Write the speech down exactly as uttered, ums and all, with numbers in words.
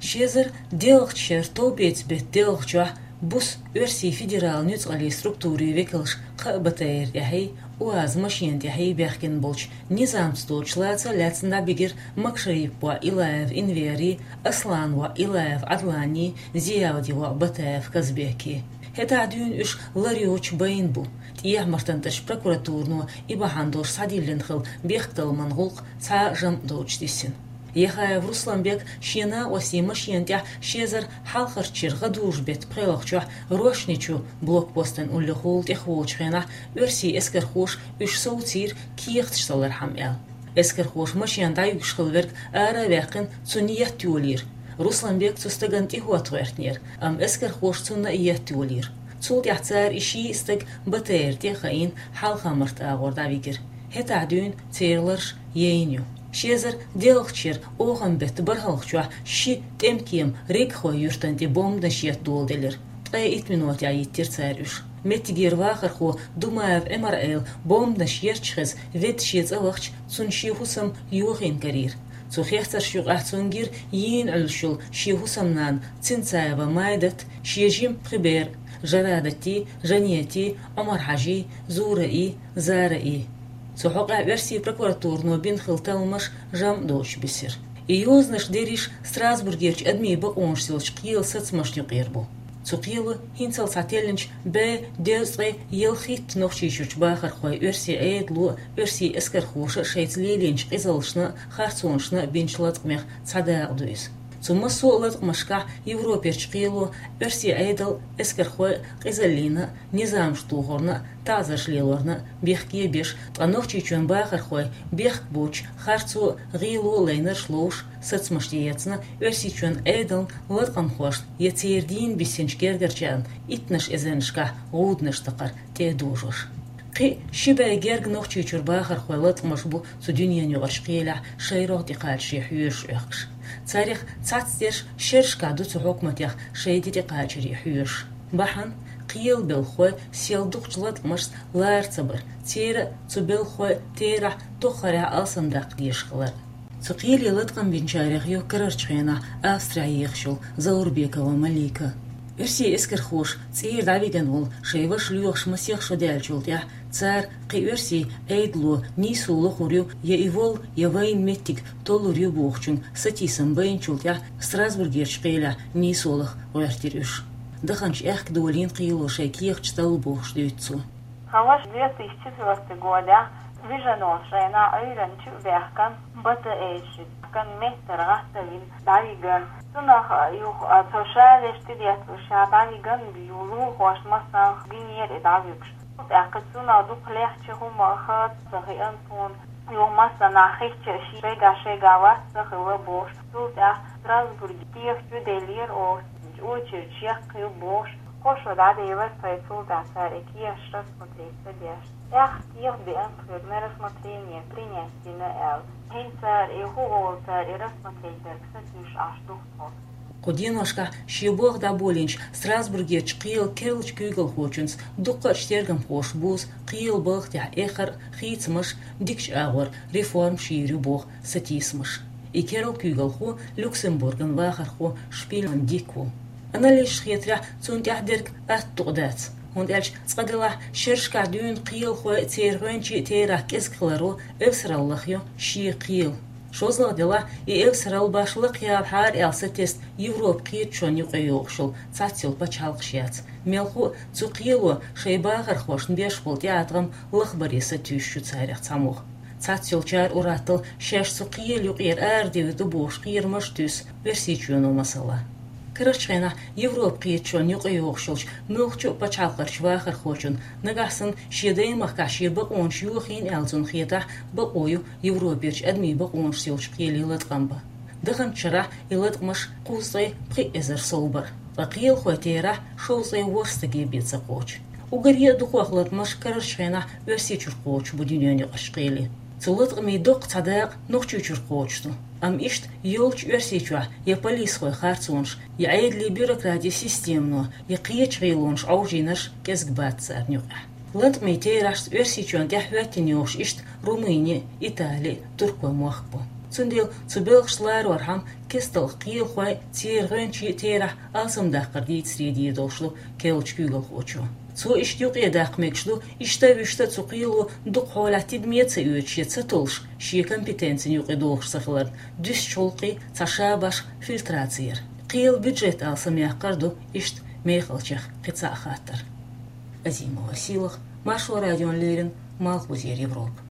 Ши эзар доьалгӀача шера товбеца бетта доьалгӀачохь буса Оьрсийн федералан нуьцкъалчу структурийн векалш кхаа БТР тӀехьий, УАЗ машена тӀехьий баьхкина болчу низамца доцуш лаца а лаьцна дӀабигира Макшариповн воӀ Илаев Энвери, Аслановн воӀ Илаев Ӏадлани, Зиявдин воӀ Батаев Казбеки. ХӀетахь дуьйна уьш лар йоцуш байна бу. ТӀехьа-МартантӀерчу прокуратуро и бахьана долуш схьадиллина хилла бехктакхаман гӀуллакх цхьа а жамӀ доцуш диссина. Яхаев Русланбек шен накъостийн машена тӀехь ши эзар хьалхарчу шеран гӀадужу-беттан пхоьалгӀачохь Рошни-Чу блокпостан уллехула тӀехволучу хенахь оьрсийн эскархоша уьш совцийра кехаташ салархьама аьлла. Эскархоша машена дӀаюьгуш хилла верг ара а ваьккхина, цунна етта йолийра. Русланбек цу стагана тӀехӀотта гӀоьртинера, амма эскархоша цунна а етта йолийра. Цул тӀаьхьа цара и ши стаг БТР тӀе а хаийна, Хьалха-Март агӀор дӀавигира. ХӀетахь дуьйна церан ларш яйна ю. Ши эзар доьалгӀачу шеран оханан беттан бархӀалгӀачохь ши тӀемкема Регхой юьртана тӀе бомбанаш етта доладелира. Ткъе итт минотехь йиттира цара уьш. Меттигера вахархо Думаев Ӏимар-Ӏела бомбанаш етташ хеза, ведда шен цӀа вахча, цунна шен хӀусам йохийна карийра. Цу хецаршна юкъахь цунна гира йийна Ӏуьллуш йолу шен хӀусамнана Цинцаева Майдат, шен жима пхи бер, Жарадатий, Жанетий, Ӏумар-Хьажий, Зураий, Зараий. Цу хьокъехь оьрсийн прокуратуро бина хилла талламаш жамӀ доцуш бисира. И йозанаш дерриш Страсбургерчу адамийн бакъонаш йолчу кхелан сацамашна юкъера бу. Цу кхело хӀинццалц схьателлинчу бӀе дезткъе ялхитта Нохчийчуьрчу бахархойн оьрсийн Ӏедало а, оьрсийн эскархоша а шайца лелийначу къизаллашна а, харцонашна а бинчу латкъамех цхьа дакъа ду иза. Цу массо а латкъамашкахь Европерчу кхело оьрсийн Ӏедал а, эскархой а къизаллина а, низамаш тухарна а, таӀзарш лелорна а бехке а беш, ткъа Нохчийчоьнан бахархой бехк боцуш харцо а, гӀело а лайнарш ловш, сацамаш тӀеэцна, Оьрсийчоьнан Ӏедална латкъамхошна я церан дийна биссинчу гергарчарна иттаннаш эзарнашкахь гӀуданаш такхар тӀе а дожош. Кхин а ши бӀе герга Нохчийчуьра бахархойн латкъамаш бу цу дуьненан юкъарчу кхелехь шайн рогӀ тӀекхачаре хьоьжуш Ӏохкуш. Царех цхьацца дерш шерашкахь ду цу хьукматех шайн де тӀекхачаре хьоьжуш. Бахьана кхелан белхахой сел дукхачу латкъамашца лара ца бар, церан а, цу белхахойн а терахь тоххарехь алсамдаккха дезаш хилар. Цу кхеле латкъам бинчарех ю карарчу хенахь Австрехь ехаш йолу Заурбекова Малика. Оьрсийн эскархоша цӀера дӀавигна волу шайн ваша лоьхуш масех шо даьллачул тӀаьхьа цара кхин оьрсийн Ӏедало нийсо лохур ю, я и волу, я вайна меттиг толлур ю бохучунна сатийсам байначул тӀаьхьа Страсбургерчу кхелехь нийсо лаха гӀоьртира уьш. Даханчу аьхка долийна кхело шайн кехаташ талла бохуш дуьйцу цо. Тхан ваша две тысячи четвёртый годехь вижина волчу хенахь Ӏуьйранна чу а баьхкина, БТР-шца кан меттара гӀаттавина дӀавигна. Цунах юха а цо шалеш тӀедетталуш ша дӀавигна, юха лулахошна массанхьа гинера и дӀавуьгуш. ТӀаккха цунах дукха лехча хӀума хаа ца хиъна суна. Юха массанхьа хиъча а шайга-шайга вац ца хилла бохуш. Цул тӀаьхьа Страсбурге кехат чу деллера оха, очередь чекхйо бохуш. Кхо шо дӀаделира тхайн, цул тӀаьхьа цара и кехаташ рассмотреть ца деш. ТӀаккха кехат беана тхоьга на рассмотрение принять дина аьлла. ХӀинца цара и хӀун олу, цара и рассмотреть дерг сатуьйсуш Ӏаш ду-кх тхо. Кху деношкахь шен болх дӀаболийначу Страсбургерчу кхелан керлачу куьйгалхочуьнца дуккха а тергамхоша бузу кхелан балха тӀехь эххар а, хийцамаш а, дикачу агӀор реформаш йийр ю боху сатийсамаш. И керла куьйгалхо Люксембурган вахархо Шпильман Дик ву. Анализаша хетарехь, цунна тӀехь дерг атта дукъ дац, хӀунда аьлча цкъа делахь шерашкахь дуьйна кхелахой а, церан гӀоьнчийн а терахь кӀезиг хиларо эвсаралла лахайо шен кхел. ШозлагӀа делахь, и эвсаралла башха лакхаяла хьара аьлла сатесна Европан кхеташонна юкъайогӀуш йолу цхьацца йолу пачхьалкхаш яц. Мелхо а цу кхело шайн бахархошна беш болу тӀеӀаткъам лахбаре сатуьйсуш ю царех цхьаммо. Цхьацца йолчара ур-атталла шаьш цу кхелан юкъера арадевр ду бохуш кхерамаш а туьйсу Оьрсийчоьно масала. Карарчу хенахь Европан кхеташонна юкъайогӀуш йолчу муьлххачу а пачхьалкхерчу вахархочунна, нагахь санна шен даймахкахь шен бакъонаш йохийна аьлла цунна хетахь, бакъо ю Европерчу адамийн бакъонаш йолчу кхеле латкъам бан. Даханчу шарахь и латкъамаш кхузткъе пхи эзар сов бара, ткъа кхелахойн терахь шовзткъе ворхӀ стаге бен ца кхочу. Уггаре а дукхох латкъамаш карарчу хенахь Оьрсийчуьра кхочуш бу дуьненаюкъарчу кхеле. Цу латкъамийн доккха цхьа дакъа Нохчийчуьра кхочуш ду. Амма иштта йолчу Оьрсийчохь я полисхойн харцонаш, я Ӏедалийн бюрократийн системано, я кхечу гӀелонаш Ӏовжийнарш кӀезиг бац царна юкъахь. Латкъамийн терахьашца Оьрсийчоьнна тӀаьхьахӀоьттина йогӀуш иштта Румыни а, Итали а, Туркойн мохк бу. Цундела цу белхашца ларорхьама кестта кхелахой церан гӀоьнчийн терахь алсамдаккхар дийцаре дийр долуш ду керлачу куьйгалхочо. Цо иштта юкъедаккха мегаш ду, иштта а вуьшта а цу кхело дукха хьолехь тидаме а ца оьцуш я ца толлуш, шен компетенцина юкъе догӀуш ца хиларна, дуьсучу гӀуллакхийн цхьа ша-башха фильтраци яр. Кхелан бюджет алсамъяккхар ду иштта мехалчех кхин цхьа а хаттар. Азимова Сийлаха, Маршо радиона леррина, Малхбузера Европа.